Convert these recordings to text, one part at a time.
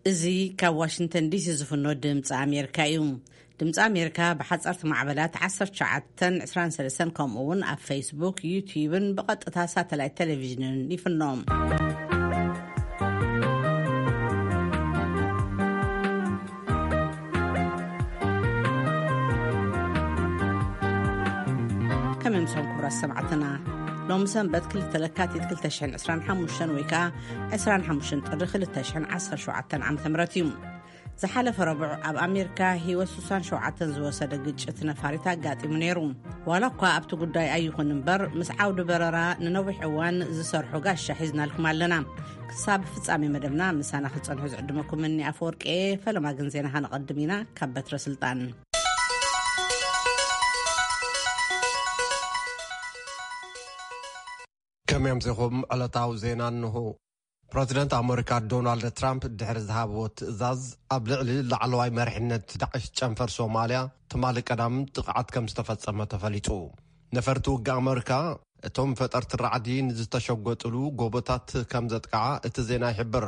እዚ ካብ ዋሽንግተን ዲሲ ዝፍኖ ድምፂ ኣሜሪካ እዩ። ድምፂ ኣሜሪካ ብሓፀርቲ ማዕበላት ዓሰርተ ትሽዓተን ዕስራን ሰለስተን፣ ከምኡ እውን ኣብ ፌስቡክ፣ ዩትዩብን ብቐጥታ ሳተላይት ቴሌቪዥንን ይፍኖ። ከመይ ምሶም ክቡራት ሰማዕትና፣ ሎሚ ሰንበት ክልተ ለካቲት ክልተ ሽሕን ዕስራን ሓሙሽተን ወይ ከዓ ዕስራን ሓሙሽተን ጥሪ ክልተ ሽሕን ዓሰርተ ሸውዓተን ዓመተ ምህረት እዩ። ዝሓለፈ ረቡዕ ኣብ ኣሜሪካ ህይወት ስሳን ሸውዓተን ዝወሰደ ግጭት ነፋሪት ኣጋጢሙ ነይሩ። ዋላ እኳ ኣብቲ ጉዳይ ኣይኹን እምበር፣ ምስ ዓውዲ በረራ ንነዊሕ እዋን ዝሰርሑ ጋሻ ሒዝናልኩም ኣለና። ክሳብ ፍጻሜ መደብና ምሳና ክትጸንሑ ዝዕድመኩም እኒ ኣፈወርቂ እየ። ፈለማ ግን ዜና ከነቐድም ኢና። ካብ በትረ ስልጣን። ከመይ ኣምሲኹም? ዕለታዊ ዜና እንሆ። ፕረዚደንት ኣመሪካ ዶናልድ ትራምፕ ድሕሪ ዝሃብዎ ትእዛዝ፣ ኣብ ልዕሊ ላዕለዋይ መሪሕነት ዳዕሽ ጨንፈር ሶማልያ ትማሊ ቀዳም ጥቕዓት ከም ዝተፈጸመ ተፈሊጡ። ነፈርቲ ውግእ ኣመሪካ፣ እቶም ፈጠርቲ ራዕዲ ንዝተሸጎጥሉ ጎቦታት ከም ዘጥቅዓ እቲ ዜና ይሕብር።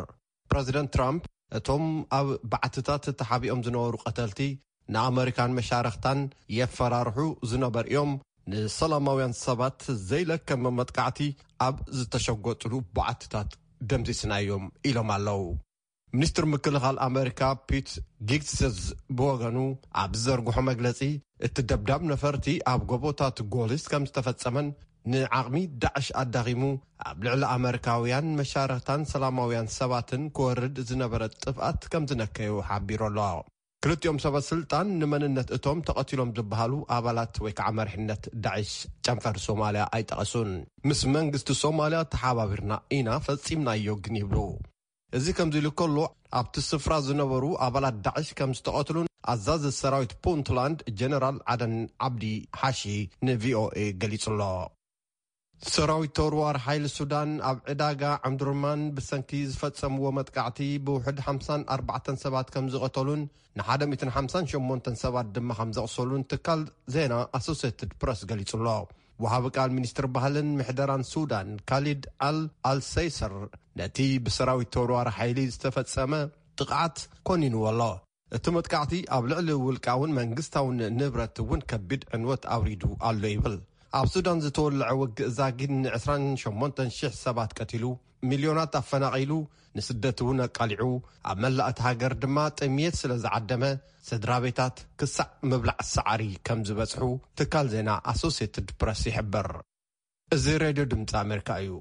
ፕረዚደንት ትራምፕ፣ እቶም ኣብ ባዕትታት ተሓቢኦም ዝነበሩ ቀተልቲ ንኣመሪካን መሻርኽታን የፈራርሑ ዝነበሩ እዮም፣ ንሰላማውያን ሰባት ዘይለከመ መጥቃዕቲ ኣብ ዝተሸጎጥሉ ባዕትታት ደምሲስናዮም ኢሎም ኣለዉ። ሚኒስትር ምክልኻል ኣመሪካ ፒት ጊግስዝ ብወገኑ ኣብ ዝዘርግሖ መግለጺ፣ እቲ ደብዳብ ነፈርቲ ኣብ ጎቦታት ጎሊስ ከም ዝተፈጸመን ንዓቕሚ ዳዕሽ ኣዳኺሙ ኣብ ልዕሊ ኣመሪካውያን መሻርኽታን ሰላማውያን ሰባትን ክወርድ ዝነበረ ጥፍኣት ከም ዝነከዮ ሓቢሩ ኣሎ። ክልቲኦም ሰበ ስልጣን ንመንነት እቶም ተቐቲሎም ዝበሃሉ ኣባላት ወይ ከዓ መሪሕነት ዳዕሽ ጨንፈር ሶማልያ ኣይጠቐሱን። ምስ መንግስቲ ሶማልያ ተሓባቢርና ኢና፣ ፈጺምናዮ ግን ይብሉ። እዚ ከምዚ ኢሉ ከሎ፣ ኣብቲ ስፍራ ዝነበሩ ኣባላት ዳዕሽ ከም ዝተቐትሉን ኣዛዚ ሰራዊት ፑንትላንድ ጀነራል ዓደን ዓብዲ ሓሺ ንቪኦኤ ገሊጹ ኣሎ። ሰራዊት ተወርዋር ሓይሊ ሱዳን ኣብ ዕዳጋ ዕምድርማን ብሰንኪ ዝፈጸምዎ መጥቃዕቲ ብውሕድ ሓምሳን ኣርባዕተን ሰባት ከም ዝቐተሉን ንሓደ ሚእትን ሓምሳን ሸሞንተን ሰባት ድማ ከም ዘቕሰሉን ትካል ዜና ኣሶሴትድ ፕረስ ገሊጹ ኣሎ። ወሃቢ ቃል ሚኒስትር ባህልን ምሕደራን ሱዳን ካሊድ ኣል ኣልሰይሰር ነቲ ብሰራዊት ተወርዋር ሓይሊ ዝተፈጸመ ጥቕዓት ኮኒንዎ ኣሎ። እቲ መጥቃዕቲ ኣብ ልዕሊ ውልቃውን መንግስታውን ንብረት እውን ከቢድ ዕንወት ኣውሪዱ ኣሎ ይብል። ኣብ ሱዳን ዝተወለዐ ውግእ ዛጊድ ን ዕስራን ሸሞንተን ሽሕ ሰባት ቀቲሉ፣ ሚልዮናት ኣፈናቒሉ፣ ንስደት እውን ኣቃሊዑ፣ ኣብ መላእ እታ ሃገር ድማ ጥምየት ስለ ዝዓደመ፣ ስድራ ቤታት ክሳዕ ምብላዕ ሳዕሪ ከም ዝበጽሑ ትካል ዜና ኣሶሴትድ ፕረስ ይሕብር። እዚ ሬድዮ ድምፂ ኣሜሪካ እዩ።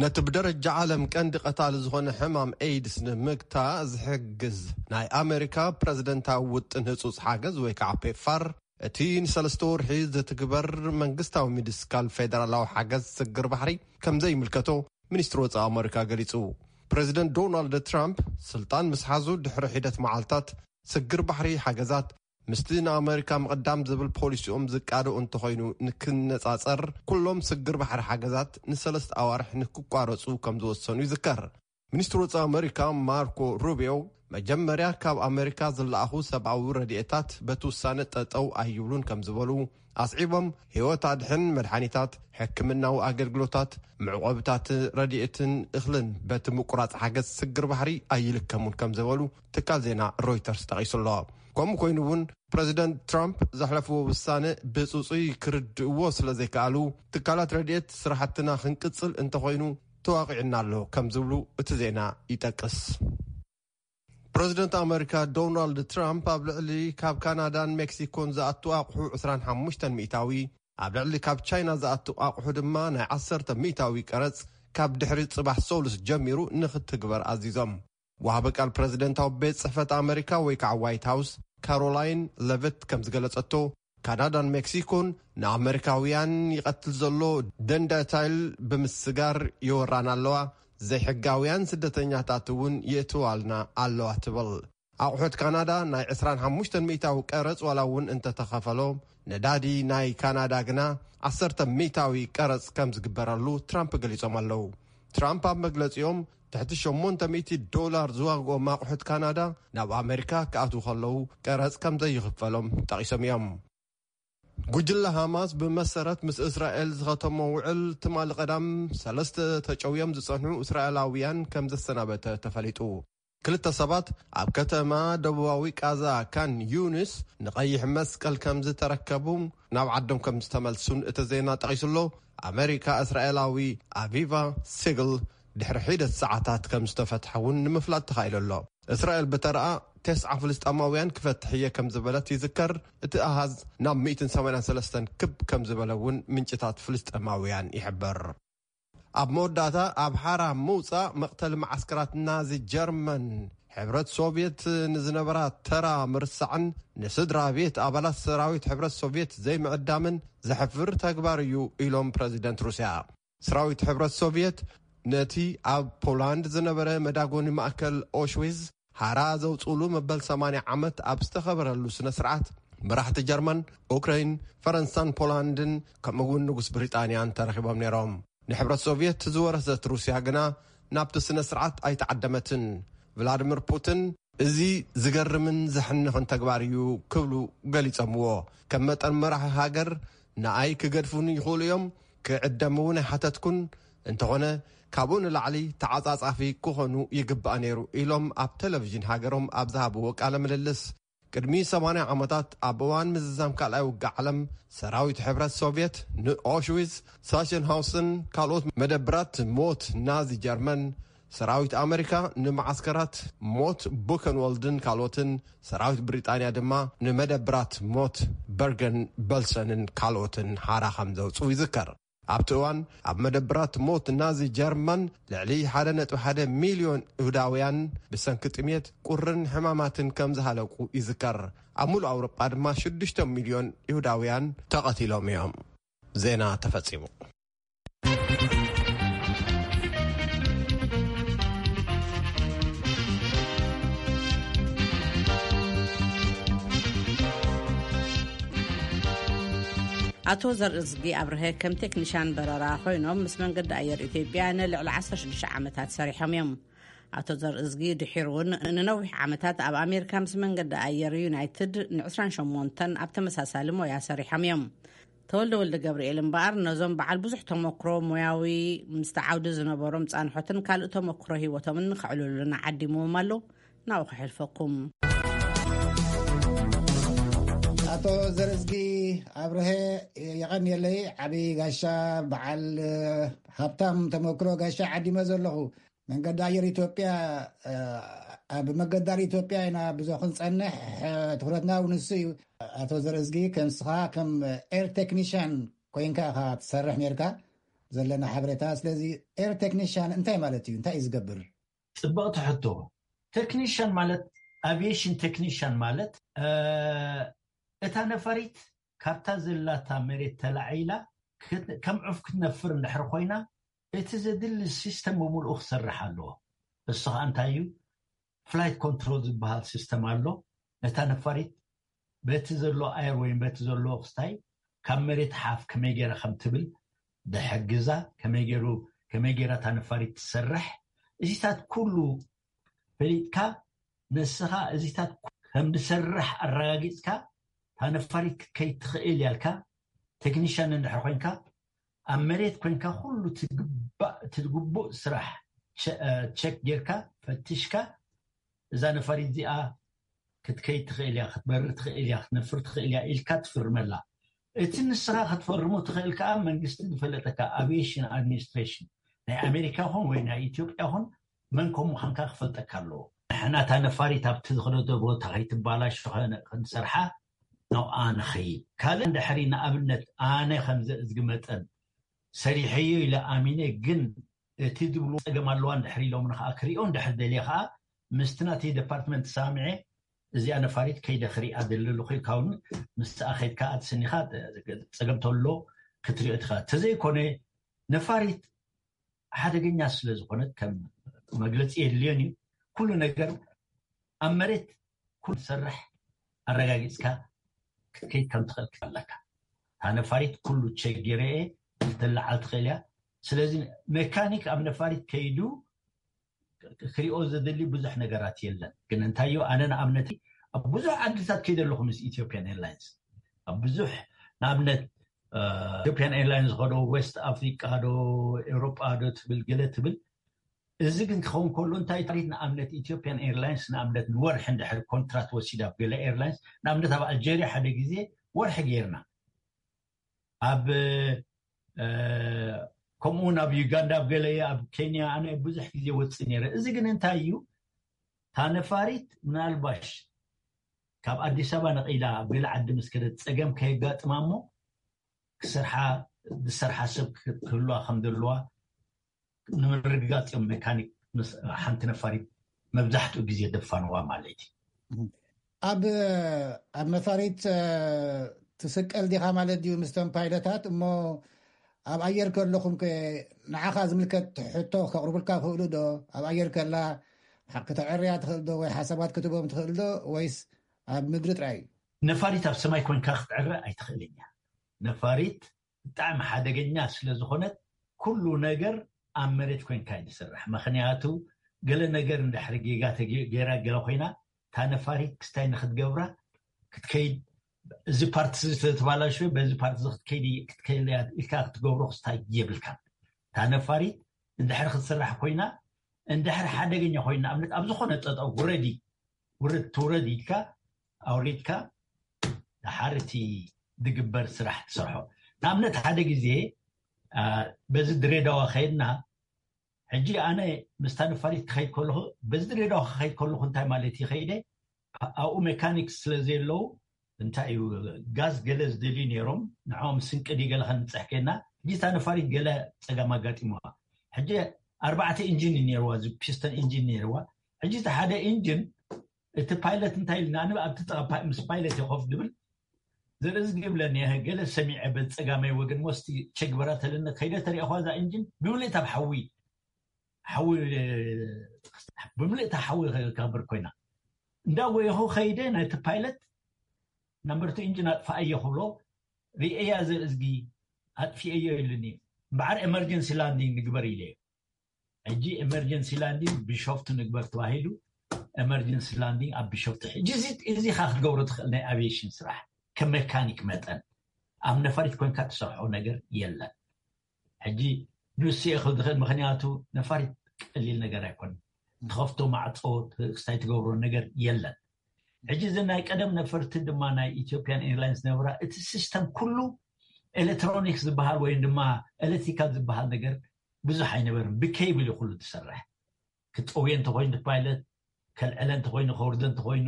ነቲ ብደረጃ ዓለም ቀንዲ ቀታሊ ዝኾነ ሕማም ኤይድስ ንምግታ ዝሕግዝ ናይ ኣሜሪካ ፕረዚደንታዊ ውጥን ህጹጽ ሓገዝ ወይ ከዓ ፔፋር፣ እቲ ንሰለስተ ወርሒ ዝትግበር መንግስታዊ ሚድስካል ፌደራላዊ ሓገዝ ስግር ባሕሪ ከም ዘይምልከቶ ሚኒስትሪ ወጻኢ ኣሜሪካ ገሊጹ። ፕረዚደንት ዶናልድ ትራምፕ ስልጣን ምስ ሓዙ ድሕሪ ሒደት መዓልታት፣ ስግር ባሕሪ ሓገዛት ምስቲ ንኣመሪካ ምቕዳም ዝብል ፖሊሲኦም ዝቃዶ እንተኾይኑ ንክነጻጸር፣ ኩሎም ስግር ባሕሪ ሓገዛት ንሰለስተ ኣዋርሕ ንክቋረጹ ከም ዝወሰኑ ይዝከር። ሚኒስትሪ ወጻኢ ኣመሪካ ማርኮ ሩቢዮ፣ መጀመርያ ካብ ኣመሪካ ዝለኣኹ ሰብኣዊ ረድኤታት በቲ ውሳነ ጠጠው ኣይብሉን ከም ዝበሉ ኣስዒቦም፣ ህይወት ኣድሕን መድሓኒታት፣ ሕክምናዊ ኣገልግሎታት፣ መዕቆብታት ረድኤትን እኽልን በቲ ምቁራጽ ሓገዝ ስግር ባሕሪ ኣይልከሙን ከም ዝበሉ ትካል ዜና ሮይተርስ ጠቒሱ ኣሎ። ከምኡ ኮይኑ እውን ፕረዚደንት ትራምፕ ዘሕለፍዎ ውሳነ ብጽጹይ ክርድእዎ ስለ ዘይከኣሉ፣ ትካላት ረድኤት ስራሕትና ክንቅጽል እንተኾይኑ ተዋቒዕና ኣሎ ከም ዝብሉ እቲ ዜና ይጠቅስ። ፕረዚደንት ኣመሪካ ዶናልድ ትራምፕ ኣብ ልዕሊ ካብ ካናዳን ሜክሲኮን ዝኣቱ ኣቑሑ ዕስራን ሓሙሽተን ሚእታዊ፣ ኣብ ልዕሊ ካብ ቻይና ዝኣቱ ኣቑሑ ድማ ናይ ዓሰርተ ሚእታዊ ቀረጽ ካብ ድሕሪ ጽባሕ ሰሉስ ጀሚሩ ንክትግበር ኣዚዞም። ወሃቢ ቃል ፕረዚደንታዊ ቤት ጽሕፈት ኣመሪካ ወይ ከዓ ዋይት ሃውስ ካሮላይን ለቨት ከም ዝገለጸቶ፣ ካናዳን ሜክሲኮን ንኣመሪካውያን ይቐትል ዘሎ ደንዳታይል ብምስጋር የወራና ኣለዋ፣ ዘይሕጋውያን ስደተኛታት እውን የእትዋልና ኣለዋ ትብል። ኣቑሑት ካናዳ ናይ ዕስራን ሓሙሽተን ሚእታዊ ቀረጽ ዋላ እውን እንተተኸፈሎም፣ ነዳዲ ናይ ካናዳ ግና ዓሰርተ ሚእታዊ ቀረጽ ከም ዝግበረሉ ትራምፕ ገሊጾም ኣለዉ። ትራምፕ ኣብ መግለጺኦም፣ ትሕቲ ሸሞንተ ሚእቲ ዶላር ዝዋግኦም ኣቑሑት ካናዳ ናብ ኣመሪካ ክኣትዉ ከለዉ ቀረጽ ከም ዘይኽፈሎም ጠቒሶም እዮም። ጉጅለ ሃማስ ብመሰረት ምስ እስራኤል ዝኸተሞ ውዕል፣ ትማሊ ቀዳም ሰለስተ ተጨውዮም ዝጸንሑ እስራኤላውያን ከም ዘሰናበተ ተፈሊጡ። ክልተ ሰባት ኣብ ከተማ ደቡባዊ ቃዛ ካን ዩኒስ ንቐይሕ መስቀል ከም ዝተረከቡ፣ ናብ ዓዶም ከም ዝተመልሱን እቲ ዜና ጠቒሱ ኣሎ። ኣመሪካ እስራኤላዊ ኣቪቫ ሲግል ድሕሪ ሒደት ሰዓታት ከም ዝተፈትሐ እውን ንምፍላጥ ተኻኢሉ ኣሎ። እስራኤል ብተረኣ ተስዓ ፍልስጣማውያን ክፈትሕ እየ ከም ዝበለት ይዝከር። እቲ ኣሃዝ ናብ ሚእትን ሰማንያን ሰለስተን ክብ ከም ዝበለ እውን ምንጭታት ፍልስጣማውያን ይሕበር። ኣብ መወዳእታ ኣብ ሓራ ምውፃእ መቕተሊ መዓስከራት ናዚ ጀርመን ሕብረት ሶቭየት ንዝነበራ ተራ ምርሳዕን ንስድራ ቤት ኣባላት ሰራዊት ሕብረት ሶቭየት ዘይምዕዳምን ዘሕፍር ተግባር እዩ ኢሎም ፕረዚደንት ሩስያ። ሰራዊት ሕብረት ሶቭየት ነቲ ኣብ ፖላንድ ዝነበረ መዳጎኒ ማእከል ኦሽዊዝ ሓራ ዘውፅእሉ መበል ሰማንያ ዓመት ኣብ ዝተኸበረሉ ስነ ስርዓት መራሕቲ ጀርመን፣ ኡክረይን፣ ፈረንሳን ፖላንድን ከምኡ እውን ንጉስ ብሪጣንያን ተረኺቦም ነይሮም። ንሕብረት ሶቭየት ዝወረሰት ሩስያ ግና ናብቲ ስነ ስርዓት ኣይተዓደመትን። ቭላድሚር ፑቲን እዚ ዝገርምን ዘሕንኽን ተግባር እዩ ክብሉ ገሊጾምዎ። ከም መጠን መራሒ ሃገር ንኣይ ክገድፉኒ ይኽእሉ እዮም፣ ክዕደም እውን ኣይሓተትኩን። እንተኾነ ካብኡ ንላዕሊ ተዓጻጻፊ ክኾኑ ይግባእ ነይሩ ኢሎም ኣብ ቴሌቪዥን ሃገሮም ኣብ ዝሃብዎ ቃለ ምልልስ። ቅድሚ ሰማንያ ዓመታት ኣብ እዋን ምዝዛም ካልኣይ ውግእ ዓለም ሰራዊት ሕብረት ሶቭየት ንኦሽዊዝ፣ ሳሸንሃውስን ካልኦት መደብራት ሞት ናዚ ጀርመን፣ ሰራዊት ኣመሪካ ንመዓስከራት ሞት ቡከንወልድን ካልኦትን፣ ሰራዊት ብሪጣንያ ድማ ንመደብራት ሞት በርገን በልሰንን ካልኦትን ሓራ ከም ዘውፅኡ ይዝከር። ኣብቲ እዋን ኣብ መደብራት ሞት ናዚ ጀርመን ልዕሊ ሓደ ነጥቢ ሓደ ሚልዮን ይሁዳውያን ብሰንኪ ጥሜት፣ ቁርን ሕማማትን ከም ዝሃለቁ ይዝከር። ኣብ ሙሉእ ኣውሮጳ ድማ ሽዱሽተ ሚልዮን ይሁዳውያን ተቐቲሎም እዮም። ዜና ተፈጺሙ። ኣቶ ዘርእዝጊ ኣብርሀ ከም ቴክኒሻን በረራ ኮይኖም ምስ መንገዲ ኣየር ኢትዮጵያ ንልዕሊ ዓሰርተ ሽዱሽተ ዓመታት ሰሪሖም እዮም። ኣቶ ዘርእዝጊ ድሒሩ እውን ንነዊሕ ዓመታት ኣብ ኣሜሪካ ምስ መንገዲ ኣየር ዩናይትድ ን ዕስራን ሸሞንተን ኣብ ተመሳሳሊ ሞያ ሰሪሖም እዮም። ተወልደ ወልደ ገብርኤል እምበኣር ነዞም በዓል ብዙሕ ተመክሮ ሞያዊ ምስቲ ዓውዲ ዝነበሮም ጻንሖትን ካልእ ተመክሮ ህይወቶምን ከዕልሉና ዓዲምዎም ኣሎ። ናብኡ ከሕልፈኩም። ኣቶ ዘርእዝጊ ኣብርሀ፣ የቐንየለይ። ዓብዪ ጋሻ፣ በዓል ሃብታም ተመክሮ ጋሻ ዓዲመ ዘለኹ። መንገዲ ኣየር ኢትዮጵያ፣ ኣብ መገዳር ኢትዮጵያ ኢና ብዙ ክንጸንሕ፣ ትኹረትና እውን ንሱ እዩ። ኣቶ ዘርእዝጊ፣ ከም ንስኻ ከም ኤር ቴክኒሽያን ኮይንካ ኢኻ ትሰርሕ ነርካ፣ ዘለና ሓበሬታ። ስለዚ ኤር ቴክኒሽያን እንታይ ማለት እዩ? እንታይ እዩ ዝገብር? ጽብቕቲ ሕቶ። ቴክኒሽያን ማለት፣ ኣቪዬሽን ቴክኒሽያን ማለት፣ እ፣ እታ ነፋሪት ካብታ ዘላታ መሬት ተላዒላ ክት-፣ ከም ዑፍ ክትነፍር እንድሕር ኮይና፣ እቲ ዘድሊ ሲስተም ብምልኡ ክሰርሕ ኣለዎ። እሱ ኸኣ እንታይ እዩ? ፍላይት ኮንትሮል ዝበሃል ሲስተም ኣሎ። ነታ ነፋሪት በቲ ዘሎ ኣየር ወይም በቲ ዘሎ ክስታይ ካብ መሬት ሓፍ ከመይ ገይራ ከም ትብል ዝሕግዛ፣ ከመይ ገይሩ፣ ከመይ ገይራ እታ ነፋሪት ትሰርሕ፣ እዚታት ኩሉ ፈሊጥካ፣ ንስኻ እዚታት ከም ዝሰርሕ ኣረጋጊጽካ፣ እታ ነፋሪት ክትከይድ ትኽእል እያ ኢልካ፣ ቴክኒሽያን እንድሕር ኮይንካ፣ ኣብ መሬት ኮይንካ ኩሉ ትግባእ፣ እቲ ግቡእ ስራሕ ቸ-፣ እ፣ ቸክ ጌርካ፣ ፈቲሽካ፣ እዛ ነፋሪት እዚኣ ክትከይድ ትኽእል እያ፣ ክትበርር ትኽእል እያ፣ ክትነፍር ትኽእል እያ ኢልካ ትፍርመላ። እቲ ንስኻ ክትፈርሞ ትኽእል ከኣ መንግስቲ ዝፈለጠካ፣ ኣቪዬሽን ኣድሚኒስትሬሽን ናይ ኣሜሪካ ይኹን ወይ ናይ ኢትዮጵያ ይኹን፣ መን ከም ምዃንካ ክፈልጠካ ኣለዎ። ንሕና እታ ነፋሪት ኣብቲ ዝኸደቶ ቦታ ከይትባላሾ ከነ-፣ ክንሰርሓ ናብኣ ንኸይድ። ካልእ እንድሕሪ ንኣብነት ኣነ ከም ዘእዝጊ መጠን ሰሪሐዮ ኢለ ኣሚነ፣ ግን እቲ ዝብሉ ጸገም ኣለዋ እንድሕር ኢሎምኒ ከኣ ክሪኦ እንድሕር ደልየ ከኣ ምስቲ ናተይ ዲፓርትመንት ሰማሚዐ እዚኣ ነፋሪት ከይደ ክሪኣ ደሊ ኣለኹ ኢልካ እውን ምስኣ ከይድካ ኣትስኒኻ ጸገም ተሎ ክትሪኦ ትኽእል። ተዘይኮነ ነፋሪት ሓደገኛ ስለ ዝኾነት ከም መግለጺ የድልዮን እዩ። ኩሉ ነገር ኣብ መሬት ኩሉ ትሰርሕ ኣረጋጊጽካ ክትከይድ ከም ትኽእል ኣለካ። እታ ነፋሪት ኩሉ ቸክ ገይረ እየ ክትለዓል ትኽእል እያ። ስለዚ መካኒክ ኣብ ነፋሪት ከይዱ ክሪኦ ዘድሊ ብዙሕ ነገራት የለን። ግን እንታዮ፣ ኣነ ንኣብነት ኣብ ብዙሕ ዓድታት ከይደ ኣለኹ ምስ ኢትዮጵያን ኤርላይንስ። ኣብ ብዙሕ፣ ንኣብነት፣ እ፣ ኢትዮጵያን ኤርላይንስ ዝኸዶ ዌስት ኣፍሪቃ ዶ፣ ኤውሮጳ ዶ ትብል፣ ገለ ትብል፣ እዚ ግን ክኸውን ከሎ እንታይ ታሪት ንኣብነት ኢትዮጵያን ኤርላይንስ ንኣብነት ንወርሒ እንድሕር ኮንትራት ወሲዳ ኣብ ገለ ኤርላይንስ ንኣብነት ኣብ ኣልጀርያ ሓደ ግዜ ወርሒ ጌርና ኣብ ከምኡውን ኣብ ዩጋንዳ ኣብ ገለ ኣብ ኬንያ ኣነ ብዙሕ ግዜ ወፅእ ነረ። እዚ ግን እንታይ እዩ? ታነፋሪት ምናልባሽ ካብ ኣዲስ ኣበባ ነቒላ ኣብ ገለ ዓዲ ምስ ከደት ፀገም ከየጋጥማ እሞ ክሰርሓ ዝሰርሓ ሰብ ክህልዋ ከም ዘለዋ ንምርግጋፅ እዮም ሜካኒክ ሓንቲ ነፋሪት መብዛሕትኡ ግዜ ደፋንዋ ማለት እዩ። ኣብ ኣብ ነፋሪት ትስቀል ዲኻ ማለት ድዩ? ምስተን ፓይለታት እሞ ኣብ ኣየር ከለኹም ከ ንዓኻ ዝምልከት ሕቶ ከቕርቡልካ ክኽእሉ ዶ? ኣብ ኣየር ከላ ከተዕርያ ትኽእል ዶ ወይ ሓሳባት ክትቦም ትኽእል ዶ? ወይስ ኣብ ምድሪ ጥራይ እዩ? ነፋሪት ኣብ ሰማይ ኮንካ ክትዕረ ኣይትኽእልን እያ። ነፋሪት ብጣዕሚ ሓደገኛ ስለ ዝኾነት ኩሉ ነገር ኣብ መሬት ኮንካ እዩ ዝስራሕ። ምክንያቱ ገለ ነገር እንድሕሪ ጌጋ ገይራ ገለ ኮይና እታ ነፋሪት ክስታይ ንክትገብራ ክትከይድ እዚ ፓርቲ ዝተተባላሸ በዚ ፓርቲ ክትከይድ ክትከይድ ኢልካ ክትገብሮ ክስታይ የብልካ። እታ ነፋሪት እንድሕሪ ክትስራሕ ኮይና እንድሕሪ ሓደገኛ ኮይና ኣብነት ኣብ ዝኾነ ጠጠው ውረዲ ውርድ ትውረድ ኢልካ ኣውሪድካ ድሓር እቲ ዝግበር ስራሕ ትሰርሖ። ንኣብነት ሓደ ግዜ በዚ ድሬዳዋ ከይድና ሕጂ ኣነ ምስታ ነፋሪት ክኸይድ ከለኹ በዚ ድሬዳዋ ክኸይድ ከለኹ እንታይ ማለት ይኸይደ ኣብኡ ሜካኒክስ ስለ ዘየለዉ እንታይ እዩ ጋዝ ገለ ዝደልዩ ነይሮም ንዕኦም ስንቂ ድዩ ገለ ከንብፅሕ ከይድና ሕጂ እታ ነፋሪት ገለ ፀገም ኣጋጢምዋ ሕጂ ኣርባዕተ ኢንጂን እዩ ነይርዋ እዚ ፒስተን ኢንጂን ነይርዋ ሕጂ እቲ ሓደ ኢንጂን እቲ ፓይለት እንታይ ኢልና ኣነ ኣብቲ ጥቓ ምስ ፓይለት ይኸፍ ድብል ዘርኢ ዝግብለኒ ገለ ሰሚዐ በፀጋማይ ወገን ሞስቲ ቸግበራ ተለነ ከይደ ተሪእኳ እዛ ኢንጂን ብምልእታ ኣብ ሓዊ ሓዊ ብምልእታ ሓዊ ክገብር ኮይና እንዳወየኹ ከይደ ናይቲ ፓይለት ናምበርቲ ኢንጂን ኣጥፋኣዮ ክብሎ ርእያ ዘርእዝጊ ኣጥፊአዮ ኢሉኒ በዓር ኤመርጀንሲ ላንዲንግ ንግበር ኢለ ሕጂ ኤመርጀንሲ ላንዲንግ ቢሾፍቱ ንግበር ተባሂሉ ኤመርጀንሲ ላንዲንግ ኣብ ቢሾፍቱ ሕጂ እዚ ካ ክትገብሮ ትኽእል ናይ ኣቪዬሽን ስራሕ ከም ሜካኒክ መጠን ኣብ ነፋሪት ኮንካ ትሰርሖ ነገር የለን ሕጂ ንሱ የኽል ዝኽእል ምክንያቱ ነፋሪት ቀሊል ነገር ኣይኮነ ትኸፍቶ ማዕፆ ክስታይ ትገብሮ ነገር የለን ሕጂ እዚ ናይ ቀደም ነፈርቲ ድማ ናይ ኢትዮጵያን ኤርላይንስ ነበራ እቲ ሲስተም ኩሉ ኤሌክትሮኒክስ ዝበሃል ወይ ድማ ኤሌክትሪካል ዝበሃል ነገር ብዙሕ ኣይነበርን ብኬብል ኩሉ ትሰርሕ ክፀውየ እንተኮይኑ ፓይለት ከልዕለ እንተኮይኑ ከውርደ እንተኮይኑ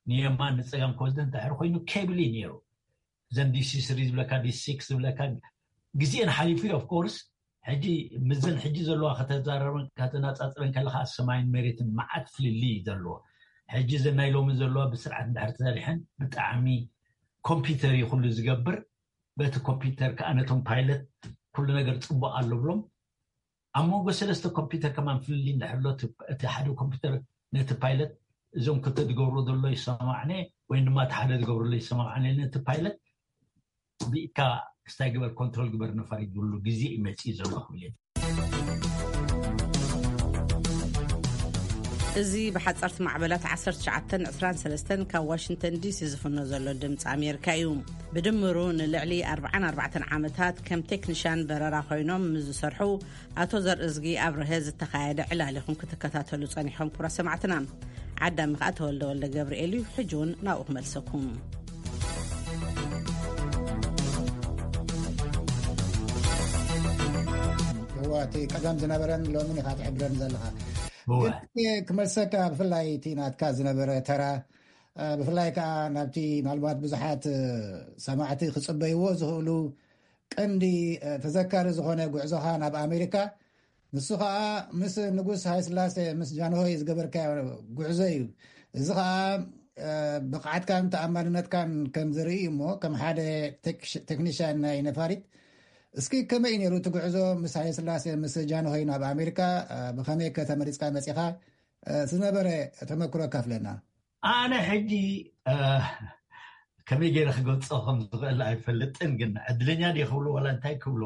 ንየማን ንፀጋም ከወስደ እንተሕር ኮይኑ ኬብል እዩ ነይሩ ዘን ዲሲ ስሪ ዝብለካ ዲሲ ሲክስ ዝብለካ ግዜን ሓሊፉ ኦፍኮርስ ሕጂ ምዘን ሕጂ ዘለዋ ከተዛረበን ከተነፃፅረን ከለካ ሰማይን መሬትን መዓት ፍልልይ እዩ ዘለዎ ሕጂ ዘናይ ሎሚ ዘለዋ ብስርዓት እንድሕር ተሰሪሐን ብጣዕሚ ኮምፒውተር እዩ ኩሉ ዝገብር በቲ ኮምፒውተር ከዓ ነቶም ፓይለት ኩሉ ነገር ፅቡቅ ኣሎ ብሎም ኣብ መንጎ ሰለስተ ኮምፒውተር ከማን ፍልልይ እንድሕር ኣሎ እቲ ሓደ ኮምፒውተር ነቲ ፓይለት እዞም ክልተ ዝገብርዎ ዘሎ ይሰማማዕነ ወይ ድማ እቲ ሓደ ዝገብርሎ ይሰማማዕነ ነቲ ፓይለት ብኢካ ክስታይ ግበር ኮንትሮል ግበር ነፋሪት ዝብሉ ግዜ እዩ መፅኡ ዘሎ ክብል እዚ ብሓፀርቲ ማዕበላት ዓሰርተ ትሽዓተ ዕስራን ሰለስተን ካብ ዋሽንግተን ዲሲ ዝፍኖ ዘሎ ድምፂ ኣሜሪካ እዩ። ብድምሩ ንልዕሊ ኣርባዓን ኣርባዕተን ዓመታት ከም ቴክኒሻን በረራ ኮይኖም ምስ ዝሰርሑ ኣቶ ዘርእዝጊ ኣብርሀ ዝተኻየደ ዕላል ኢኹም ክትከታተሉ ጸኒሖም። ክቡራት ሰማዕትና፣ ዓዳሚ ከኣ ተወልደ ወልደ ገብርኤል እዩ። ሕጂ እውን ናብኡ ክመልሰኩም። እዋ እቲ ቀደም ዝነበረን ሎምን ኢኻ ትሕብረኒ ዘለኻ። እወ። ግን ክመልሰካ፣ ብፍላይ እቲ ናትካ ዝነበረ ተራ፣ እ፣ ብፍላይ ከዓ ናብቲ ምናልባት ብዙሓት፣ እ፣ ሰማዕቲ ክጽበይዎ ዝኽእሉ ቀንዲ፣ እ፣ ተዘካሪ ዝኾነ ጉዕዞኻ ናብ ኣሜሪካ፣ ንሱ ከዓ ምስ ንጉስ ሃይስላሴ፣ ምስ ጃንሆይ ዝገበርካዮ ጉዕዞ እዩ። እዚ ከዓ፣ እ፣ ብቕዓትካን ተኣማንነትካን ከም ዝርኢ እሞ፣ ከም ሓደ ቴክ-፣ ቴክኒሽያን ናይ ነፋሪት፣ እስኪ ከመይ እዩ ነይሩ እቲ ጉዕዞ ምስ ሃይለስላሴ፣ ምስ ጃንሆይ ናብ ኣሜሪካ? እ፣ ብኸመይ ከ ተመሪጽካ መጺኻ? እ፣ ዝነበረ ተመክሮ ኣካፍለና። ኣነ ሕጂ፣ እ፣ ከመይ ገይረ ክገልጾ ከም ዝኽእል ኣይፈልጥን፣ ግን ዕድለኛ ድየ ክብሎ ዋላ እንታይ ክብሎ፣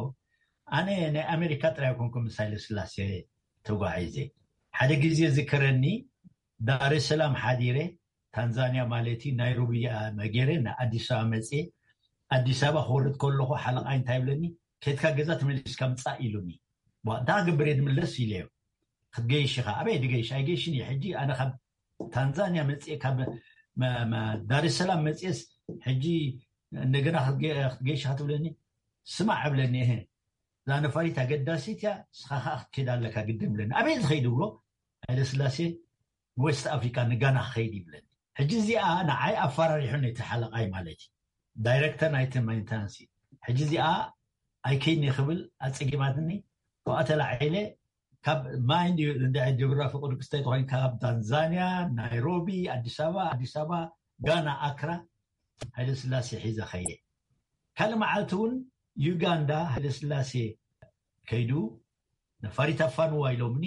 ኣነ ናይ ኣሜሪካ ጥራይ ኣይኮንኩን ምስ ሃይለስላሴ ተጓዒዘ። ሓደ ግዜ ዝከረኒ ዳሬሰላም ሓዲረ፣ ታንዛንያ ማለት እዩ፣ ናይሮቢ መጌረ ንኣዲስ ኣበባ መፅየ። ኣዲስ ኣበባ ክወርድ ከለኹ ሓለቓይ እንታይ ይብለኒ፣ ከድካ ገዛ ተመሊስካ ምፃእ ኢሉኒ። ቧ፣ እንታይ ክገብር እየ ዝምለስ ኢለዮ። ክትገይሽ ኢኻ። ኣበይ ድገይሽ? ኣይገይሽን እየ። ሕጂ ኣነ ካብ ታንዛንያ መፅኤ፣ ካብ ዳሬሰላም መፅኤስ ሕጂ እንደገና ክትገይሽ ክትብለኒ? ስማዕ እብለኒ። እህ፣ እዛ ነፋሪት ኣገዳሲት እያ፣ ንስኻ ከዓ ክትከይድ ኣለካ ግድን እብለኒ። ኣበይ ዝኸይድ እብሎ? ሃይለስላሴ ዌስት ኣፍሪካ ንጋና ክኸይድ ይብለኒ። ሕጂ እዚኣ ንዓይ ኣፈራሪሑኒ እቲ ሓለቓይ ማለት እዩ፣ ዳይረክተር ናይቲ ሜንተናንስ እዩ። ሕጂ እዚኣ ኣይከይኒ ክብል ኣፀጊማትኒ። ካብኣ ተላዒለ፣ ካብ ማይንድ እንደ ጅብራ ፍቅዱ ክስተይ ተኮይን ካብ ታንዛንያ ናይሮቢ፣ ኣዲስ ኣበባ፣ ኣዲስ ኣበባ ጋና ኣክራ ሃይለ ስላሴ ሒዘ ከይደ። ካልእ መዓልቲ እውን ዩጋንዳ ሃይለ ስላሴ ከይዱ ነፋሪት ኣፋንዋ ኢሎምኒ።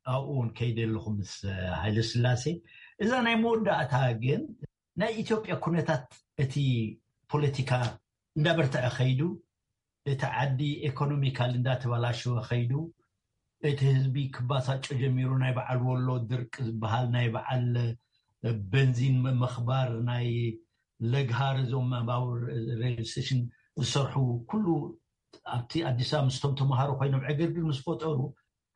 ኣብኡ እውን ከይደ ኣለኹ ምስ ሃይለ ስላሴ። እዛ ናይ መወዳእታ ግን ናይ ኢትዮጵያ ኩነታት፣ እቲ ፖለቲካ እንዳበርትዐ ከይዱ፣ እቲ ዓዲ ኤኮኖሚካል እንዳተበላሸወ ከይዱ፣ እቲ ህዝቢ ክባሳጮ ጀሚሩ፣ ናይ በዓል ወሎ ድርቅ ዝበሃል፣ ናይ በዓል በንዚን ምኽባር፣ ናይ ለግሃር፣ እዞም ባቡር ሬል ስቴሽን ዝሰርሑ ኩሉ ኣብቲ ኣዲስ ኣበባ ምስቶም ተምሃሮ ኮይኖም ዕግርግር ምስ ፈጠሩ፣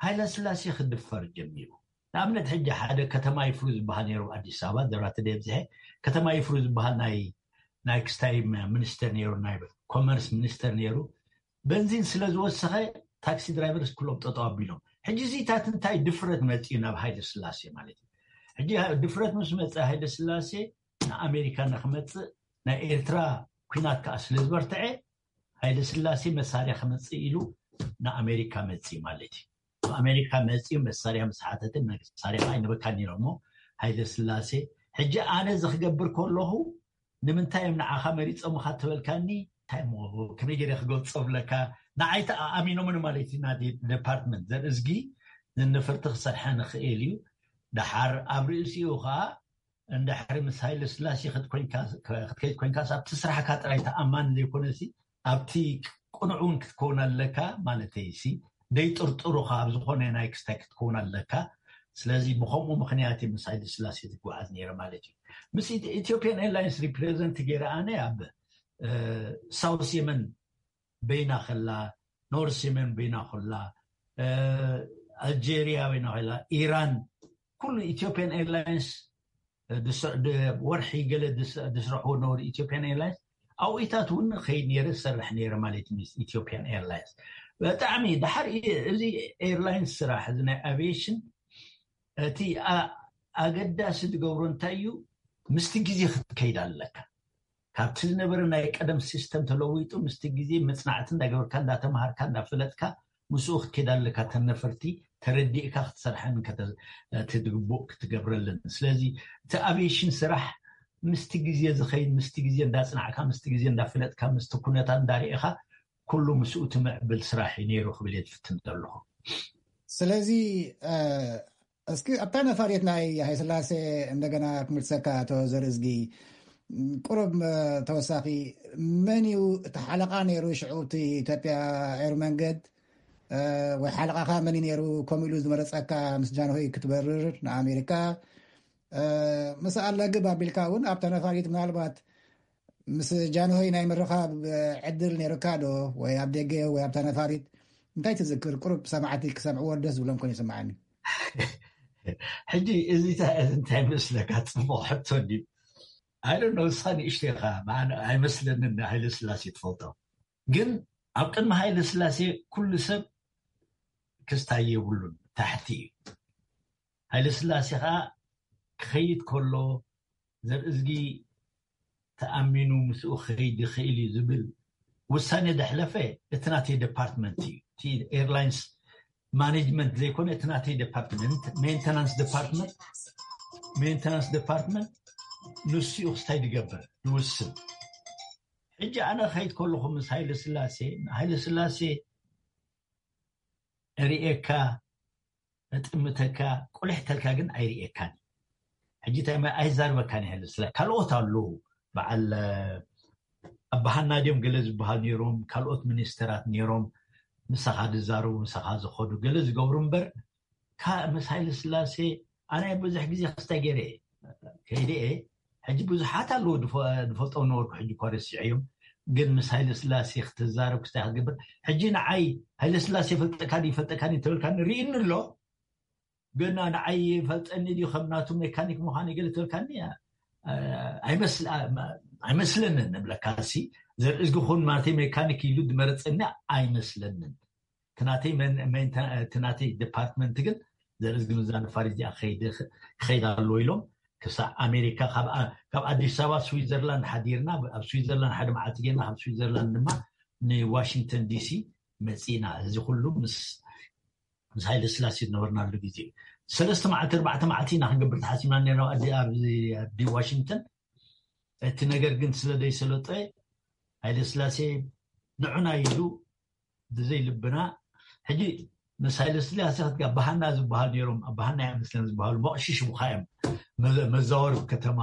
ሃይለ ስላሴ ክድፈር ጀሚሩ። ንኣብነት ሕጂ ሓደ ከተማ ይፍሩ ዝበሃል ነይሩ ኣዲስ ኣበባ፣ ዘራተ ደብዝሐ ከተማ ይፍሩ ዝበሃል ናይ ናይ ክስታይ ሚኒስተር ነይሩ፣ ናይ ኮመርስ ሚኒስተር ነይሩ። በንዚን ስለ ዝወሰኸ ታክሲ ድራይቨርስ ኩሎም ጠጠው ኣቢሎም። ሕጂ እዚታት እንታይ ድፍረት መፅኡ ናብ ሃይለ ስላሴ ማለት እዩ። ሕጂ ድፍረት ምስ መፀ ሃይለ ስላሴ ንኣሜሪካ ንክመፅእ፣ ናይ ኤርትራ ኩናት ከዓ ስለ ዝበርትዐ፣ ሃይለ ስላሴ መሳርያ ክመፅእ ኢሉ ንኣሜሪካ መፅኡ ማለት እዩ። ኣሜሪካ መፅኡ መሳርያ ምስ ሓተተ፣ መሳርያ ኣይንበካን ኢሎሞ። ሃይለ ስላሴ፣ ሕጂ ኣነ እዚ ክገብር ከለኹ ንምንታይ እዮም ንዓኻ መሪፆምኻ ትበልካኒ? እንታይ እሞ ከመይ ገይረ ክገልፆ ብለካ? ንዓይ ተኣሚኖምን ማለት እዩ። ናቲ ዲፓርትመንት ዘርእዝጊ ንነፈርቲ ክሰርሐ ንኽእል እዩ። ደሓር ኣብ ርእሲኡ ከዓ እንድሕሪ ምስ ሃይለ ስላሴ ክትኮይንካ፣ ክትከይድ ኮይንካስ ኣብቲ ስራሕካ ጥራይ ተኣማኒ ዘይኮነሲ ኣብቲ ቅኑዕ እውን ክትከውን ኣለካ ማለተይ ሲ፣ ደይጥርጥሩኻ ኣብ ዝኾነ ናይ ክስታይ ክትከውን ኣለካ። ስለዚ ብኸምኡ ምኽንያት እዩ ምስ ሃይለ ስላሴ ዝጓዓዝ ነይረ ማለት እዩ። ምስ ኢት- ኢትዮጵያን ኤርላይንስ ሪፕሬዘንት ገይረ ኣነ ኣብ እ፣ ሳውስ የመን በይና ከላ፣ ኖርስ የመን በይና ከላ፣ እ፣ ኣልጄሪያ በይና ከላ፣ ኢራን፣ ኩሉ ኢትዮጵያን ኤርላይንስ፣ እ፣ ድስ- ድ- ወርሒ ገለ ድስ- ድስርሑ ነበሩ ኢትዮጵያን ኤርላይንስ። ኣብኡታት እውን ከይድ ነይረ ዝሰርሕ ነይረ ማለት እዩ ምስ ኢትዮጵያን ኤርላይንስ። ብጣዕሚ ድሓር ኢ- እዚ ኤርላይንስ ስራሕ፣ እዚ ናይ ኣቪዬሽን፣ እቲ ኣ- ኣገዳሲ ዝገብሮ እንታይ እዩ? ምስቲ ግዜ ክትከይድ ኣለካ። ካብቲ ዝነበረ ናይ ቀደም ሲስተም ተለዊጡ ምስቲ ግዜ መፅናዕቲ እንዳገበርካ፣ እንዳተምሃርካ፣ እንዳፈለጥካ ምስኡ ክትከይድ ኣለካ። ተነፈርቲ ተረዲእካ ክትሰርሐን ከተ- እቲ ዝግቡእ ክትገብረልን። ስለዚ እቲ ኣቪዬሽን ስራሕ ምስቲ ግዜ ዝኸይድ፣ ምስቲ ግዜ እንዳፅናዕካ፣ ምስቲ ግዜ እንዳፈለጥካ፣ ምስቲ ኩነታት እንዳርኢኻ ኩሉ ምስኡ ትምዕብል ስራሕ እዩ ነይሩ ክብል እየ ዝፍትን ዘለኹ። ስለዚ እ፣ እስኪ ኣብታ ነፋሪት ናይ ሃይስላሴ እንደገና ክምልሰካ፣ ኣቶ ዘርእዝጊ፣ ቁሩብ እ፣ ተወሳኺ፣ መን እዩ እቲ ሓለቓ ነይሩ ሽዑ እቲ ኢትዮጵያ ኤር መንገድ እ፣ ወይ ሓለቓኻ መን እዩ ነይሩ? ከምኡ ኢሉ ዝመረፀካ ምስ ጃንሆይ ክትበርር ንኣሜሪካ እ፣ ምስ ኣለግብ ኣቢልካ እውን ኣብታ ነፋሪት ምናልባት ምስ ጃንሆይ ናይ ምርኻብ ዕድል ነይርካ ዶ? ወይ ኣብ ደገ ወይ ኣብታ ነፋሪት እንታይ ትዝክር? ቁሩብ ሰማዕቲ ክሰምዕዎ ደስ ዝብሎም ኮን ይስምዓኒ። ሕጂ እዚ እንታይ መስለካ? ፅቡቕ ሕቶ ድዩ? ኣይደ ነው እሳ ንእሽቶ ኢኻ። ኣይመስለንን ሃይለ ስላሴ ትፈልጦ። ግን ኣብ ቅድሚ ሃይለ ስላሴ ኩሉ ሰብ ክስታይ የብሉን፣ ታሕቲ እዩ። ሃይለ ስላሴ ከዓ ክኸይድ ከሎ ዘርእዝጊ ተኣሚኑ ምስኡ ክኸይድ ይኽእል እዩ ዝብል ውሳኔ ደሕለፈ እቲ ናተይ ዲፓርትመንት እዩ። እቲ ኤርላይንስ ማኔጅመንት ዘይኮነ እቲ ናተይ ዲፓርትመንት፣ ሜንተናንስ ዲፓርትመንት፣ ሜንተናንስ ዲፓርትመንት ንሱ እዩ ክስታይ ዝገብር ዝውስን። ሕጂ ኣነ ክኸይድ ከለኹ ምስ ሃይለ ስላሴ፣ ሃይለ ስላሴ ርእየካ፣ እጥምተካ፣ ቁልሕ ተልካ ግን ኣይርእየካን። ሕጂ እንታይ ማለት ኣይዛርበካን ይህል ስለ ካልኦት ኣለዉ። በዓል ኣባሃና ድዮም ገለ ዝበሃል ነይሮም፣ ካልኦት ሚኒስተራት ነይሮም፣ ምሳኻ ዝዛረቡ፣ ምሳኻ ዝኸዱ፣ ገለ ዝገብሩ እምበር፣ ካ ምስ ሃይለ ስላሴ ኣነ ብዙሕ ግዜ ክስታይ ገይረ እየ። ከይደ እየ። ሕጂ ብዙሓት ኣለዉ ዝፈ- ዝፈልጦም ነበርኩ፣ ሕጂ እኳ ረሲዐዮም። ግን ምስ ሃይለ ስላሴ ክትዛረብ ክስታይ ክትገብር፣ ሕጂ ንዓይ ሃይለ ስላሴ ይፈልጠካ ድዩ ይፈልጠካ ድዩ እንተበልካ ንርእይኒ ኣሎ። ገና ንዓይ ይፈልጠኒ ድዩ ከም ናቱ ሜካኒክ ምዃን ይገለ ትበልካኒ? ኣይመስለንን እብለካ። ሲ ዘርእዝጊ ኹን ማለተይ ሜካኒክ ኢሉ ዝመረፀኒ ኣይመስለንን። ትናተይ ዲፓርትመንት ግን ዘርእዝጊ ምዛ ነፋሪት እዚኣ ክኸይድ ኣለዎ ኢሎም ክሳብ ኣሜሪካ ካብ ኣዲስ ኣበባ ስዊዘርላንድ ሓዲርና፣ ኣብ ስዊዘርላንድ ሓደ መዓልቲ ጌርና ካብ ስዊዘርላንድ ድማ ንዋሽንግተን ዲሲ መፂና። እዚ ኩሉ ምስ ምስ ሃይለ ስላሴ ዝነበርናሉ ግዜ ሰለስተ መዓልቲ ኣርባዕተ መዓልቲ ኢና ክንገብር ተሓሲብና ነርና ኣብዚ ዋሽንግተን። እቲ ነገር ግን ስለ ዘይሰለጠ ሃይለ ስላሴ ንዑና ኢሉ ብዘይ ልብና። ሕጂ ምስ ሃይለ ስላሴ ክትጋ ባህና ዝበሃል ነይሮም፣ ባህና እያ መስለን ዝበሃሉ መቕሽሽ ብካ እዮም መዘዋወሪ ከተማ።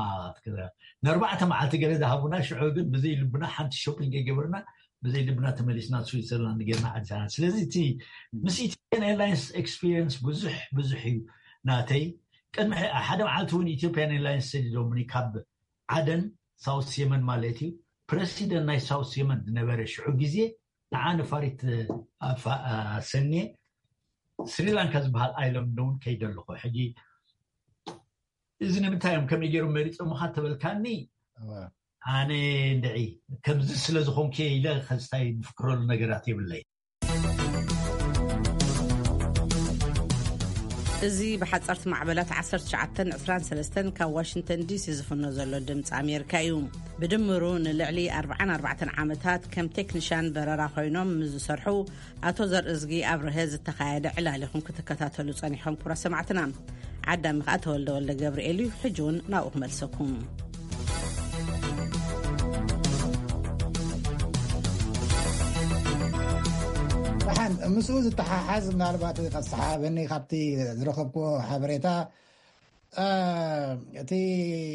ንኣርባዕተ መዓልቲ ገለ ዝሃቡና ሽዑ ግን ብዘይ ልብና ሓንቲ ሾፒንግ የገበርና ብዘይ ልብና ተመሊስና ስዊዘርላንድ ጌርና ዓዲሳና። ስለዚ እቲ ምስ ኢትዮጵያን ኤርላይንስ ኤክስፒሪየንስ ብዙሕ ብዙሕ እዩ ናተይ። ቅድሚ ሓደ መዓልቲ እውን ኢትዮጵያን ኤርላይንስ ሰዲዶምኒ ካብ ዓደን ሳውስ የመን ማለት እዩ። ፕረሲደንት ናይ ሳውስ የመን ዝነበረ ሽዑ ግዜ ንዓ ነፋሪት ኣሰንየ ስሪላንካ ዝበሃል ኣይላንድ እውን ከይደ ኣለኹ። ሕጂ እዚ ንምንታይ እዮም ከመይ ገይሮም መሪፆምካ ተበልካኒ፣ ኣነ እንድዒ ከምዚ ስለ ዝኾንኩ ኢለ ከስታይ ዝፍክረሉ ነገራት የብለይ። እዚ ብሓፀርቲ ማዕበላት ዓሰርተ ትሽዓተ ዕስራን ሰለስተን ካብ ዋሽንግተን ዲሲ ዝፍኖ ዘሎ ድምፂ ኣሜሪካ እዩ። ብድምሩ ንልዕሊ ኣርባዓን ኣርባዕተን ዓመታት ከም ቴክኒሻን በረራ ኮይኖም ምስ ዝሰርሑ ኣቶ ዘርእዝጊ ኣብርሀ ዝተኻየደ ዕላል ኢኹም ክትከታተሉ ጸኒሖም። ክቡራት ሰማዕትና፣ ዓዳሚ ከኣ ተወልደ ወልደ ገብርኤል እዩ። ሕጂ እውን ናብኡ ክመልሰኩም። ደሓን ምስኡ ዝተሓሓዝ ምናልባት ከሰሓበኒ ካብቲ ዝረኸብክዎ ሓበሬታ፣ እቲ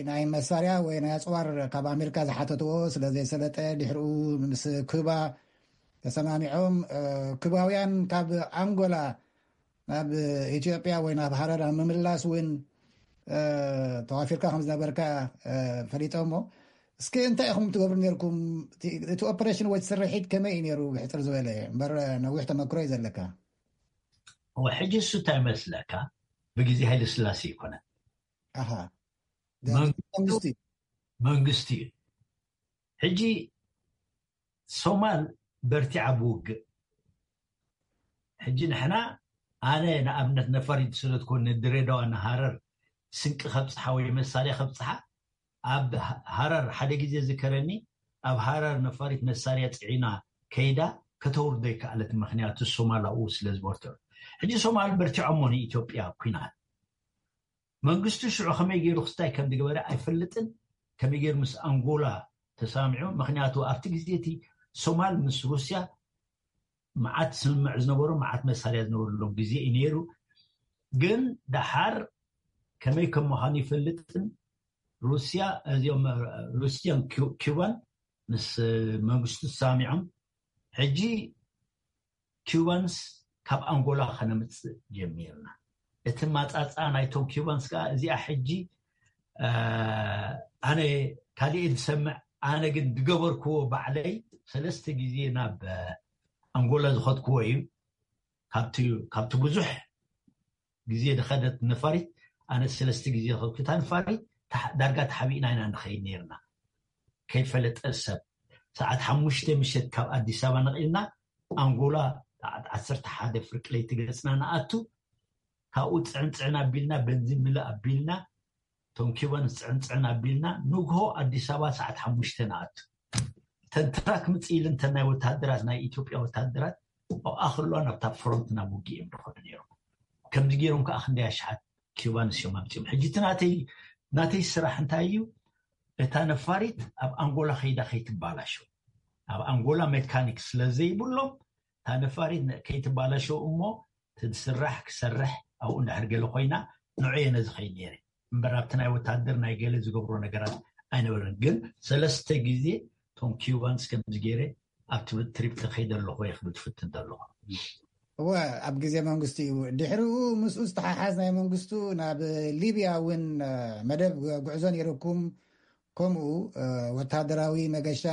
ናይ መሳርያ ወይ ናይ ኣፅዋር ካብ ኣሜሪካ ዝሓተትዎ ስለ ዘይሰለጠ ድሕሪኡ ምስ ኩባ ተሰማሚዖም ኩባውያን ካብ ኣንጎላ ናብ ኢትዮጵያ ወይ ናብ ሃረር ኣብ ምምላስ እውን ተዋፊርካ ከም ዝነበርካ ፈሊጦሞ። እስኪ እንታይ ኢኹም ትገብሩ ነርኩም? እቲ ኦፕሬሽን ወይ ስርሒት ከመይ እዩ ነሩ? ብሕፅር ዝበለ እምበር ነዊሕ ተመክሮ እዩ ዘለካ። ሕጂ እሱ እንታይ መስለካ፣ ብግዜ ሃይለ ስላሴ ይኮነ መንግስቲ መንግስቲ እዩ። ሕጂ ሶማል በርቲዓ ብውግእ። ሕጂ ንሕና ኣነ ንኣብነት ነፋሪት ዝሰደድኮ ንድሬዳዋ ንሃረር ስንቂ ከብፅሓ ወይ መሳርያ ከብፅሓ ኣብ ሃረር ሓደ ግዜ ዝከረኒ ኣብ ሃረር ነፋሪት መሳርያ ፅዒና ከይዳ ከተውርዶ ይከኣለት። ምክንያቱ ሶማል ኣብኡ ስለ ዝበርትዑ ሕጂ ሶማል በርቲዖሞ ንኢትዮጵያ ኩናት መንግስቱ ሽዑ ከመይ ገይሩ ክስታይ ከም ዝገበረ ኣይፈልጥን። ከመይ ገይሩ ምስ ኣንጎላ ተሳሚዑ? ምክንያቱ ኣብቲ ግዜ እቲ ሶማል ምስ ሩስያ መዓት ስምምዕ ዝነበሩ መዓት መሳርያ ዝነበሩሎም ግዜ እዩ ነይሩ። ግን ደሓር ከመይ ከም ምዃኑ ይፈልጥን ሩስያ እዚኦም ሩስያን ኪባን ምስ መንግስቱ ተሳሚዖም ሕጂ ኪባንስ ካብ ኣንጎላ ከነምፅእ ጀሚርና። እቲ ማፃፃ ናይቶም ኪባንስ ከዓ እዚኣ ሕጂ ኣነ ካሊእ ዝሰምዕ ኣነ ግን ዝገበርክዎ ባዕለይ ሰለስተ ግዜ ናብ ኣንጎላ ዝኸድክዎ እዩ። ካብቲ ብዙሕ ግዜ ዝኸደት ነፋሪት ኣነ ሰለስተ ግዜ ዝኸድኩ እታ ነፋሪት ዳርጋ ተሓቢእና ኢና ንኸይድ ነርና። ከይፈለጠ ሰብ ሰዓት ሓሙሽተ ምሸት ካብ ኣዲስ ኣበባ ነቒልና ኣንጎላ ሰዓት ዓሰርተ ሓደ ፍርቂ ለይቲ ገፅና ንኣቱ። ካብኡ ፅዕንፅዕን ኣቢልና በንዚን ምልእ ኣቢልና እቶም ኪባንስ ፅዕንፅዕን ኣቢልና ንግሆ ኣዲስ ኣበባ ሰዓት ሓሙሽተ ንኣቱ። እተን ትራክ ምፅእ ኢለን እተን ናይ ወታደራት ናይ ኢትዮጵያ ወታደራት ኣብኣ ከለዋ ናብታ ፍሮንት ናብ ውግእ እዮም ዝኸዱ ነይሮም። ከምዚ ገይሮም ከዓ ክንደይ ኣሽሓት ኪባንስ እዮም ኣምፅኦም። ሕጂ እቲ ናተይ ናተይ ስራሕ እንታይ እዩ? እታ ነፋሪት ኣብ ኣንጎላ ከይዳ ከይትባላሸው ኣብ ኣንጎላ ሜካኒክ ስለ ዘይብሎም እታ ነፋሪት ከይትባላሸው እሞ ትስራሕ ክሰርሕ ኣብኡ እንድሕር ገለ ኮይና ንዑ እየ ነዚ ከይድ ነይረ እምበር ኣብቲ ናይ ወታደር ናይ ገለ ዝገብሮ ነገራት ኣይነበረን። ግን ሰለስተ ግዜ ቶም ኪባንስ ከምዚ ገይረ ኣብቲ ትሪፕ ከይደ ኣለኹ እየ ክብል ትፍትን ዘለኹ። እወ ኣብ ግዜ መንግስቱ እዩ። ድሕሪኡ ምስኡ ዝተሓሓዝ ናይ መንግስቱ ናብ ሊብያ እውን መደብ ጉዕዞ ነይርኩም። ከምኡ ወታደራዊ መገሻ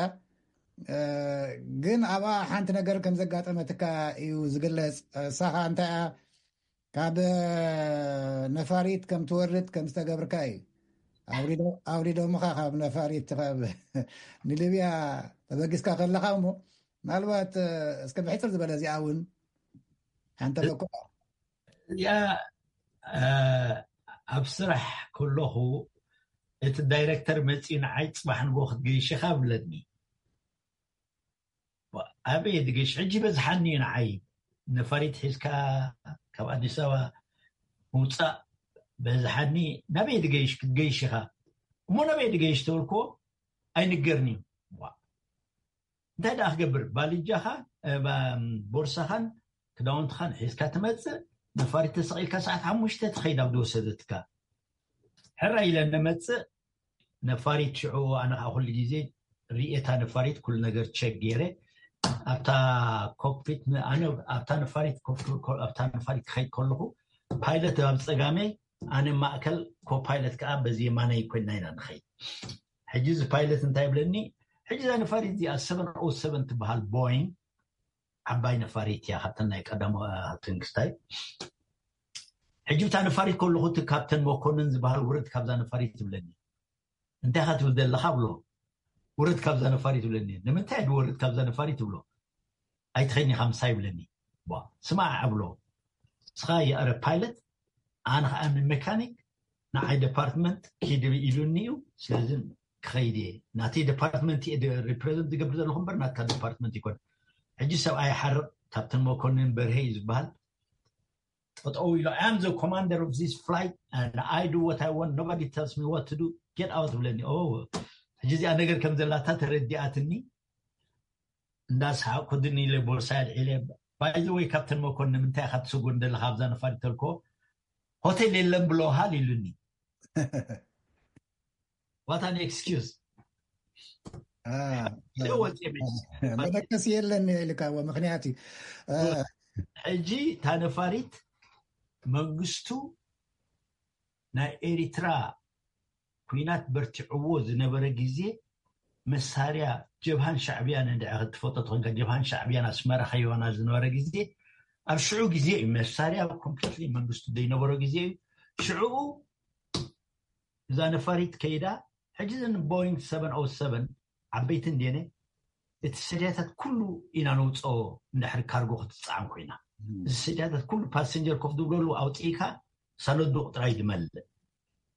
ግን ኣብኣ ሓንቲ ነገር ከም ዘጋጠመትካ እዩ ዝግለጽ። እሳ ኸኣ እንታይ እያ? ካብ ነፋሪት ከም ትወርድ ከም ዝተገብርካ እዩ። ኣውሪዶምኻ ካብ ነፋሪት፣ ካብ ንሊብያ ተበጊስካ ከለኻ እሞ፣ ምናልባት እስከ ብሕፅር ዝበለ እዚኣ እውን ሓንተ በኩ እዚኣ ኣብ ስራሕ ከለኹ እቲ ዳይረክተር መፂኡ ንዓይ ፅባሕ ንጎ ክትገይሽኻ ብለኒ። ኣበይ ድገሽ ሕጂ በዝሓኒ እዩ ንዓይ። ነፋሪት ሒዝካ ካብ ኣዲስ ኣበባ ምውፃእ በዝሓኒ። ናበይ ድገይሽ ክትገይሽ ኢኻ እሞ ናበይ ድገይሽ ተበልክዎ ኣይንገርኒ እዩ። እንታይ ደኣ ክገብር? ባልጃኻ፣ ቦርሳኻን ክዳውንትኻን ሒዝካ ትመፅእ፣ ነፋሪት ተሰቒልካ ሰዓት ሓሙሽተ ትኸይድ ኣብ ዝወሰደትካ። ሕራይ ኢለ ነመፅእ። ነፋሪት ሽዑ ኣነ ከዓ ኩሉ ግዜ ርእየታ ነፋሪት ኩሉ ነገር ቸክ ገይረ ኣብታ ኮክፒት ኣነ ኣብታ ነፋሪት ኣብታ ነፋሪት ክኸይድ ከለኹ ፓይለት ኣብ ፀጋመይ ኣነ ማእከል ኮፓይለት ከዓ በዚ የማናይ ኮይና ኢና ንኸይድ። ሕጂ እዚ ፓይለት እንታይ ይብለኒ? ሕጂ እዛ ነፋሪት እዚኣ ሰቨን ኦ ሰቨን ትበሃል ቦይንግ ዓባይ ነፋሪት እያ ካብተን ናይ ቀዳሞ ትንግስታይ። ሕጂ ብታ ነፋሪት ከለኹ እቲ ካፕተን መኮንን ዝበሃል ውረድ ካብዛ ነፋሪት ትብለኒ። እንታይ ካ ትብል ዘለካ ብሎ። ውረድ ካብዛ ነፋሪት ትብለኒ። ንምንታይ ድወርድ ካብዛ ነፋሪት ትብሎ? ኣይትኸይኒ ኢኻ ምሳይ ይብለኒ። ስማዕ እብሎ፣ ንስኻ የእረ ፓይለት፣ ኣነ ከዓ ሜካኒክ፣ ንዓይ ዲፓርትመንት ኪድ ኢሉኒ እዩ። ስለዚ ክኸይድ እየ። ናተይ ዲፓርትመንት እየ ሪፕሬዘንት ዝገብር ዘለኹ እምበር ናትካ ዲፓርትመንት ይኮን። ሕጂ ሰብኣይ ሓርቕ፣ ካፕተን መኮንን በርሄ እዩ ዝበሃል። ጠጠው ኢሎ፣ I am the commander of this flight and I do what I want, nobody tells me what to do, get out ብለኒ። ሕጂ እዚኣ ነገር ከም ዘላታ ተረዲኣትኒ። እንዳሰሓቅኩ ድን ኢለ ቦርሳ ኣልዒለ፣ ባይዘወይ ካፕተን መኮንን ንምንታይ ኢካ ትስጎ እንደለካ ኣብዛ ነፋሪት ተልኮ ሆቴል የለን ብለውሃል ኢሉኒ። ዋታን ኤክስኪውዝ። መደቀሲ የለን ኢልካ ምክንያት እዩ። ሕጂ እታ ነፋሪት መንግስቱ ናይ ኤሪትራ ኩናት በርቲዕዎ ዝነበረ ግዜ መሳርያ ጀብሃን ሻዕብያን እንድዐ ክትፈልጦ ተኾንካ፣ ጀብሃን ሻዕብያን ኣስመራ ከይዋና ዝነበረ ግዜ፣ ኣብ ሽዑ ግዜ እዩ መሳርያ ኮምፕሊትሊ መንግስቱ ዘይነበሮ ግዜ እዩ። ሽዕኡ እዛ ነፋሪት ከይዳ። ሕጂ እዘን ቦይንግ ሰቨን ኦ ሰቨን ዓበይቲ እንድየነ እቲ ሰድያታት ኩሉ ኢና ነውፅኦ። እንድሕር ካርጎ ክትፀዓን ኮይና እዚ ሰድያታት ኩሉ ፓሰንጀር ኮፍ ዝብለሉ ኣውፅኢካ ሳሎዱ ጥራይ ዝመልእ።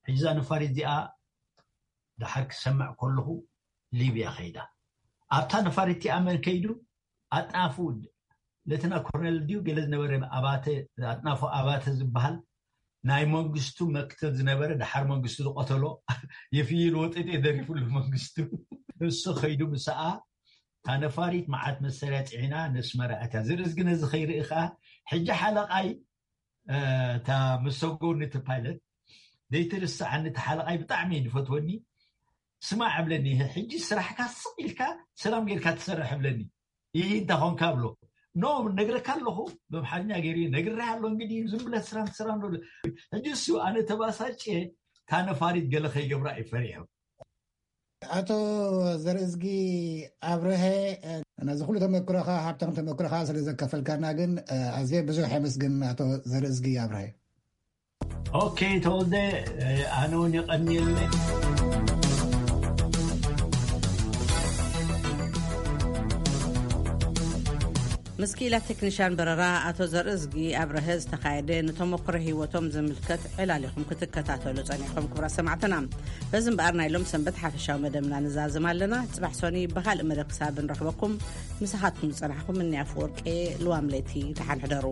ሕጂ እዛ ነፋሪት እዚኣ ድሓር ክሰምዕ ከለኹ ሊብያ ከይዳ። ኣብታ ነፋሪት እቲኣ መን ከይዱ? ኣጥናፉ ለተና ኮርነል ድዩ ገለ ዝነበረ ኣባተ፣ ኣጥናፉ ኣባተ ዝበሃል ናይ መንግስቱ መክተብ ዝነበረ፣ ድሓር መንግስቱ ዝቆተሎ የፍይል ወጠጤ ደሪፉሉ መንግስቱ። እሱ ከይዱ ምስኣ እታ ነፋሪት መዓት መሳርያ ፅዒና ነስመራ ኣትያ። ዝርእስ ግን እዚ ከይርኢ ከዓ ሕጂ ሓለቃይ እታ ምስ ሰጎኒ እቲ ፓይለት ዘይትርስዓኒ፣ እቲ ሓለቃይ ብጣዕሚ እዩ ዝፈትወኒ። ስማዕ እብለኒ፣ ሕጂ ስራሕካ ስቕ ኢልካ ሰላም ጌርካ ትሰርሕ እብለኒ። ይህ እንታይ ኾንካ ብሎ። ኖ ነግረካ ኣለኹ፣ ብኣምሓርኛ ገይሩ ነግሬ ኣሎ እንግዲህ ዝም ብለህ ስራን ስራን ዶ። ሕጂ እሱ ኣነ ተባሳጭ እታ ነፋሪት ገለ ከይገብራ እዩ ፈሪሑ። ኣቶ ዘርእዝጊ ኣብርሀ፣ ነዚ ኩሉ ተመክሮኻ፣ ሃብታም ተመክሮኻ ስለ ዘካፈልካና ግን ኣዝየ ብዙሕ የመስግን ኣቶ ዘርእዝጊ ኣብርሀ። ኦኬ ተወልደ፣ ኣነ እውን የቐንየለ። ምስ ክኢላ ቴክኒሻን በረራ ኣቶ ዘርእዝጊ ኣብርሀ ዝተኻየደ ንተመክሮ ህይወቶም ዝምልከት ዕላል ኢኹም ክትከታተሉ ጸኒሕኩም ክቡራት ሰማዕትና። በዚ እምበኣር ናይ ሎም ሰንበት ሓፈሻዊ መደብና ንዛዝም ኣለና። ጽባሕ ሶኒ ብኻልእ መደብ ክሳብ ንረኽበኩም ምሳኻትኩም ዝጸናሕኩም እኒ ኣፈወርቂ ልዋም ለይቲ። ደሓን ሕደሩ።